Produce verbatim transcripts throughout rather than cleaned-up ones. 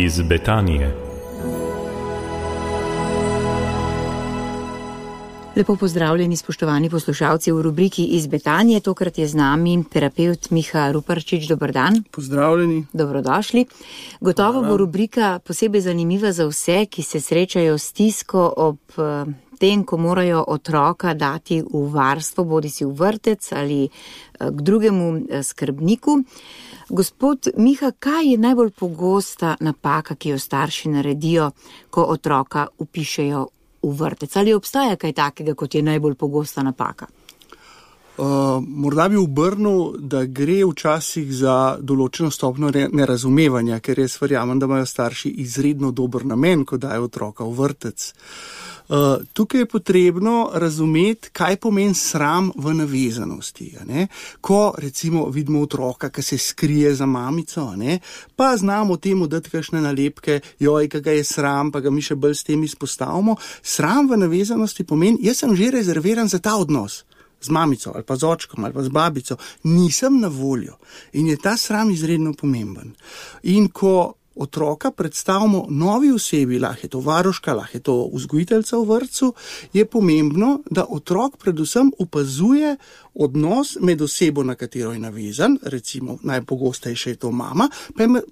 iz Betanije. Lepo pozdravljeni, spoštovani poslušalci v rubriki Iz Betanije. Tokrat je z nami terapevt Miha Ruparčič. Dober dan. Pozdravljeni. Dobrodošli. Gotovo bo rubrika posebej zanimiva za vse, ki se srečajo s stisko ob tem, ko morajo otroka dati v varstvo, bodi si v vrtec ali k drugemu skrbniku. Gospod Miha, kaj je najbolj pogosta napaka, ki jo starši naredijo, ko otroka vpišejo v vrtec? Ali obstaja kaj takega, kot je najbolj pogosta napaka? Uh, morda bi obrnil, da gre včasih za določeno stopnjo nerazumevanja, ker jaz verjamem, da imajo starši izredno dober namen, ko dajo otroka v vrtec. Uh, tukaj je potrebno razumeti, kaj pomeni sram v navezanosti. Ne? Ko recimo vidimo otroka, ki se skrije za mamico, ne? Pa znamo temu dati kakšne nalepke, joj, kaj ga je sram, pa ga mi še bolj s tem izpostavimo. Sram v navezanosti pomeni, jaz sem že rezerviran za ta odnos. Z mamico ali pa z očkom ali pa z babico, nisem na voljo. In je ta sram izredno pomemben. In ko otroka predstavimo novi osebi, lahko je to varuška, lahko je to vzgojiteljica v vrtcu, je pomembno, da otrok predvsem opazuje odnos med osebo, na katero je navezan, recimo najpogostejše je to mama,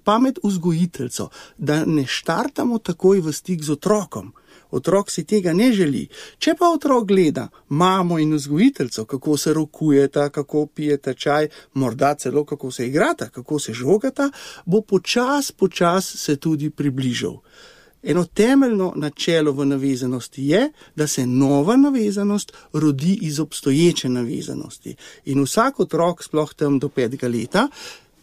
pa med vzgojiteljico, da ne štartamo takoj v stik z otrokom. Otrok si tega ne želi. Če pa otrok gleda mamo in vzgojiteljico, kako se rokujeta, kako pijeta čaj, morda celo kako se igrata, kako se žogata, bo počas, počas se tudi približal. Eno temeljno načelo v navezanosti je, da se nova navezanost rodi iz obstoječe navezanosti. In vsak otrok, sploh tam do petega leta,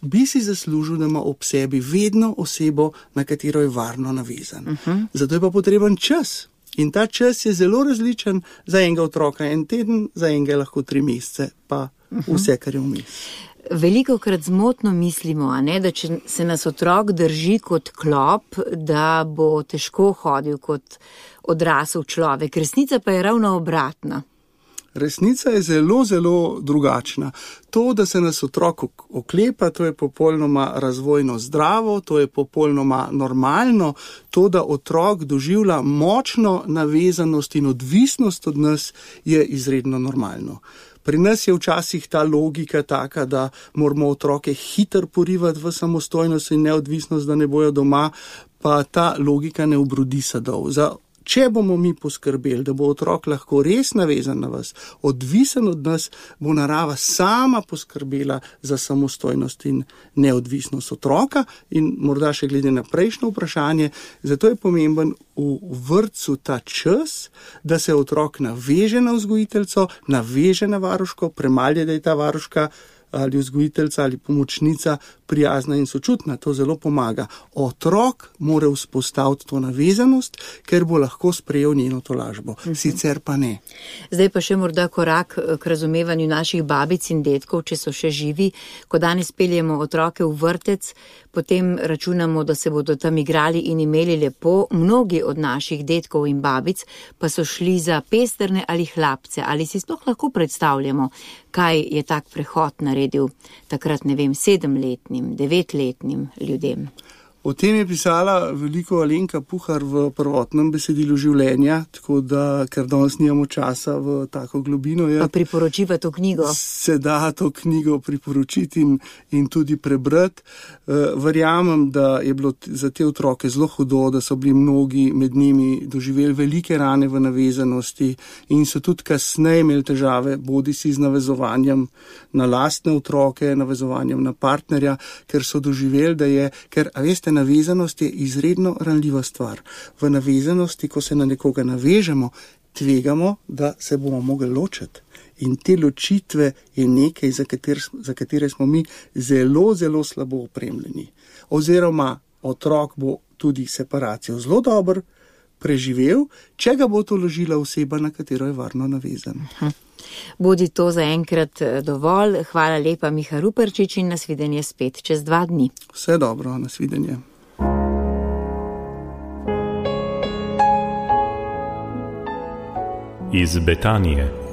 bi si zaslužil, da ima ob sebi vedno osebo, na katero je varno navezan. Uh-huh. Zato je pa potreben čas. In ta čas je zelo različen, za enega otroka en teden, za enega lahko tri mesece, pa uh-huh. vse, kar je vmes. Velikokrat zmotno mislimo, a ne, da če se nas otrok drži kot klop, da bo težko hodil kot odrasel človek. Resnica pa je ravno obratna. Resnica je zelo, zelo drugačna. To, da se nas otrok oklepa, to je popolnoma razvojno zdravo, to je popolnoma normalno. To, da otrok doživlja močno navezanost in odvisnost od nas, je izredno normalno. Pri nas je včasih ta logika taka, da moramo otroke hitro porivati v samostojnost in neodvisnost, da ne bojo doma, pa ta logika ne obrodi sadov. Za Če bomo mi poskrbeli, da bo otrok lahko res navezan na vas, odvisen od nas, bo narava sama poskrbela za samostojnost in neodvisnost otroka. In morda še glede na prejšnjo vprašanje, zato je pomemben v vrtcu ta čas, da se otrok naveže na vzgojiteljico, naveže na varuško, premalje, da je ta varuška ali vzgojiteljica ali pomočnica prijazna in sočutna, to zelo pomaga. Otrok mora vzpostaviti to navezanost, ker bo lahko sprejel njeno tolažbo, uh-huh. sicer pa ne. Zdaj pa še morda korak k razumevanju naših babic in dedkov, če so še živi. Ko danes peljemo otroke v vrtec, potem računamo, da se bodo tam igrali in imeli lepo. Mnogi od naših dedkov in babic pa so šli za pesterne ali hlapce. Ali si sploh lahko predstavljamo, kaj je tak prehod naredil takrat, ne vem, sedemletnim, devetletnim ljudem? O tem je pisala veliko Alenka Puhar v prvotnem besedilu življenja, tako da, ker danes nimamo časa v tako globino. Je, pa priporočiva to knjigo? Se da to knjigo priporočiti in, in tudi prebrati. Uh, verjamem, da je bilo za te otroke zelo hudo, da so bili mnogi med njimi doživeli velike rane v navezanosti in so tudi kasneje imeli težave, bodi si z navezovanjem na lastne otroke, navezovanjem na partnerja, ker so doživeli, da je, ker, a veste, navezanost je izredno ranljiva stvar. V navezanosti, ko se na nekoga navežemo, tvegamo, da se bomo mogli ločiti. In te ločitve je nekaj, za katere, za katere smo mi zelo, zelo slabo opremljeni. Oziroma, otrok bo tudi separacijo zelo dobro preživel, če ga bo to ložila oseba, na katero je varno navezan. Hm. Bodi to za enkrat dovolj. Hvala lepa, Miha Ruparčič, in nasvidenje spet čez dva dni. Vse dobro, nasvidenje. Iz Betanije.